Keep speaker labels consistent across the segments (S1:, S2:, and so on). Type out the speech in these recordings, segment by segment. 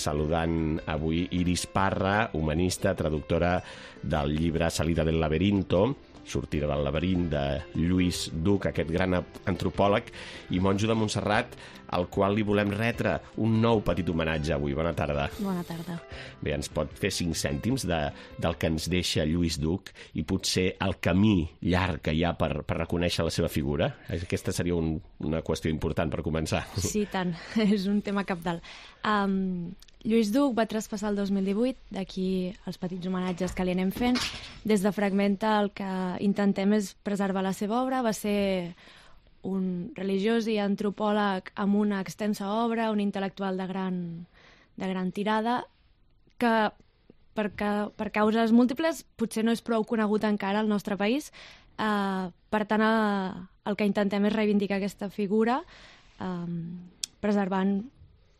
S1: saludant avui Iris Parra, humanista, traductora del llibre Salida del laberinto, Sortida del laberint, de Lluís Duc, aquest gran antropòleg i monjo de Montserrat, al qual li volem retre un nou petit homenatge avui. Bona tarda.
S2: Bona tarda.
S1: Bé, ens pot fer 5 cèntims del que ens deixa Lluís Duc i potser el camí llarg que hi ha per reconèixer la seva figura? Aquesta seria una qüestió important per començar.
S2: Sí, tant. És un tema cabdal. Lluís Duc va traspassar el 2018, d'aquí els petits homenatges que li anem fent. Des de Fragmenta el que intentem és preservar la seva obra. Va ser un religiós i antropòleg amb una extensa obra, un intel·lectual de gran tirada, que per causes múltiples potser no és prou conegut encara al nostre país. Per tant, el que intentem és reivindicar aquesta figura, preservant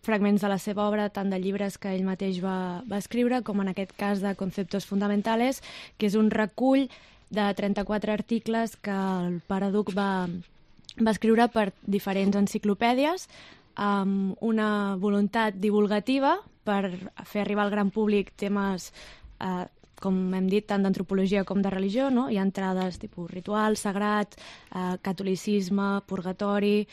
S2: fragments de la seva obra, tant de llibres que ell mateix va escriure, com en aquest cas de Conceptos Fundamentales, que és un recull de 34 articles que el pare Duc va escriure per diferents enciclopèdies, amb una voluntat divulgativa per fer arribar al gran públic temes, com hem dit, tant d'antropologia com de religió, no? Hi ha entrades tipus ritual, sagrat, catolicisme, purgatori,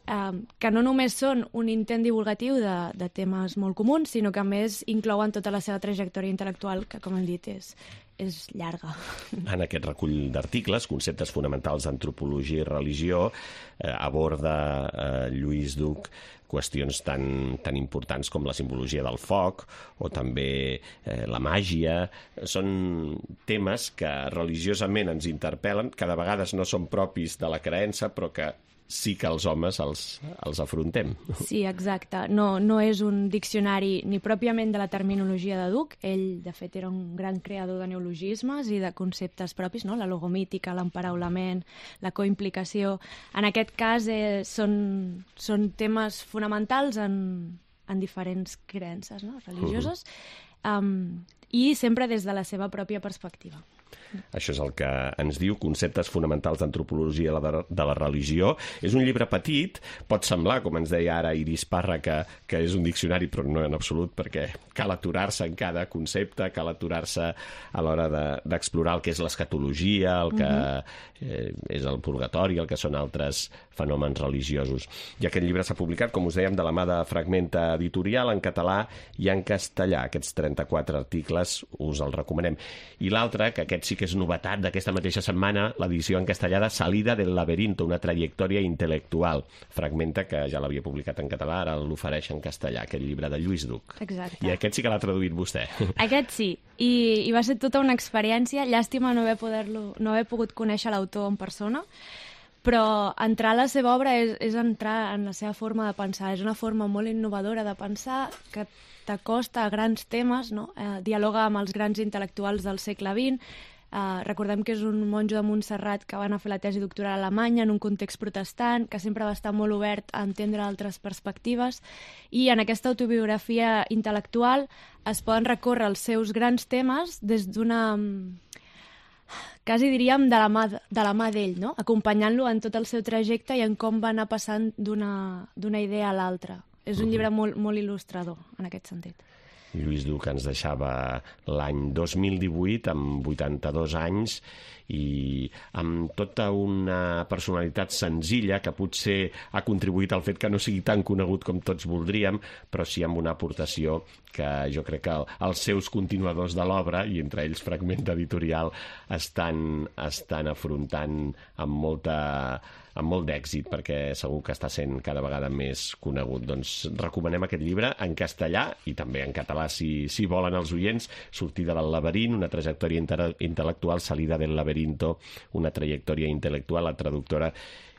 S2: que no només són un intent divulgatiu de temes molt comuns, sinó que a més inclouen tota la seva trajectòria intel·lectual, que, com hem dit, és llarga.
S1: En aquest recull d'articles, Conceptes fonamentals d'antropologia i religió, aborda Lluís Duc qüestions tan importants com la simbologia del foc o també la màgia. Són temes que religiosament ens interpel·len, que de vegades no són propis de la creença, però que sí que els homes els afrontem.
S2: Sí, exacte. No és un diccionari ni pròpiament de la terminologia de Duc. Ell, de fet, era un gran creador de neologismes i de conceptes propis, no? La logomítica, l'emparaulament, la coimplicació. En aquest cas són temes fonamentals en diferents creences, no? Religioses, i sempre des de la seva pròpia perspectiva.
S1: Això és el que ens diu Conceptes fonamentals d'antropologia de la religió. És un llibre petit, pot semblar, com ens deia ara Iris Parra, que és un diccionari, però no en absolut, perquè cal aturar-se en cada concepte, cal aturar-se a l'hora d'explorar el que és l'escatologia, el que és el purgatori, el que són altres fenòmens religiosos. I aquest llibre s'ha publicat, com us dèiem, de la mà de Fragmenta Editorial, en català i en castellà. Aquests 34 articles us els recomanem. I l'altre, que aquest sí que és novetat d'aquesta mateixa setmana, l'edició en castellà de Salida del laberinto, una trajectòria intel·lectual. Fragmenta, que ja l'havia publicat en català, ara l'ofereix en castellà, aquest llibre de Lluís Duc.
S2: Exacte.
S1: I aquest sí que l'ha traduït vostè.
S2: Aquest sí, i va ser tota una experiència. Llàstima no haver pogut conèixer l'autor en persona, però entrar a la seva obra és entrar en la seva forma de pensar. És una forma molt innovadora de pensar, que t'acosta a grans temes, no? Dialoga amb els grans intel·lectuals del segle XX. Recordem que és un monjo de Montserrat que va anar a fer la tesi doctoral a Alemanya en un context protestant, que sempre va estar molt obert a entendre altres perspectives, i en aquesta autobiografia intel·lectual es poden recórrer els seus grans temes des d'una... quasi diríem de la mà d'ell, no? Acompanyant-lo en tot el seu trajecte i en com va anar passant d'una idea a l'altra. És un llibre molt, molt il·lustrador, en aquest sentit.
S1: Lluís Duc ens deixava l'any 2018 amb 82 anys i amb tota una personalitat senzilla que potser ha contribuït al fet que no sigui tan conegut com tots voldríem, però sí amb una aportació que jo crec que els seus continuadors de l'obra, i entre ells Fragmenta Editorial, estan afrontant amb molt d'èxit, perquè segur que està sent cada vegada més conegut. Doncs recomanem aquest llibre en castellà i també en català, si volen els oients. Sortida del laberint, una trajectòria intel·lectual, Salida del laberinto, una trajectòria intel·lectual. La traductora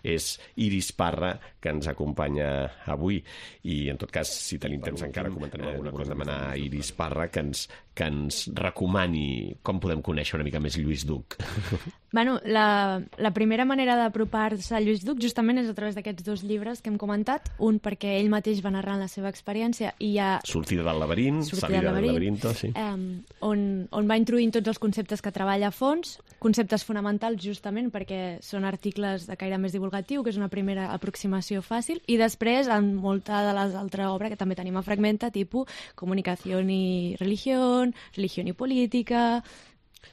S1: és Iris Parra, que ens acompanya avui. I, en tot cas, si tenim temps encara, comentarem alguna cosa, demanar a Iris Parra que ens recomani com podem conèixer una mica més Lluís Duc.
S2: Bueno, la primera manera d'apropar-se a Lluís Duc justament és a través d'aquests 2 llibres que hem comentat. Un perquè ell mateix va narrant la seva experiència i ja...
S1: Sortida del laberint, Salida del laberinto, sí.
S2: On va introduint tots els conceptes que treballa a fons, conceptes fonamentals justament perquè són articles de caire més divulgatiu, divulgatiu, que és una primera aproximació fàcil, i després en molta de les altres obres que també tenim a Fragmenta, tipus comunicació i religió i política.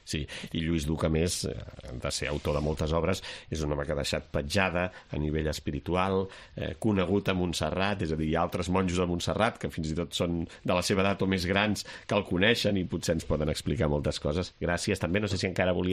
S1: Sí, i Lluís Duc, a més, de ser autor de moltes obres, és un home que ha deixat petjada a nivell espiritual, conegut a Montserrat, és a dir, hi ha altres monjos a Montserrat que fins i tot són de la seva edat o més grans que el coneixen i potser ens poden explicar moltes coses. Gràcies. També no sé si encara volia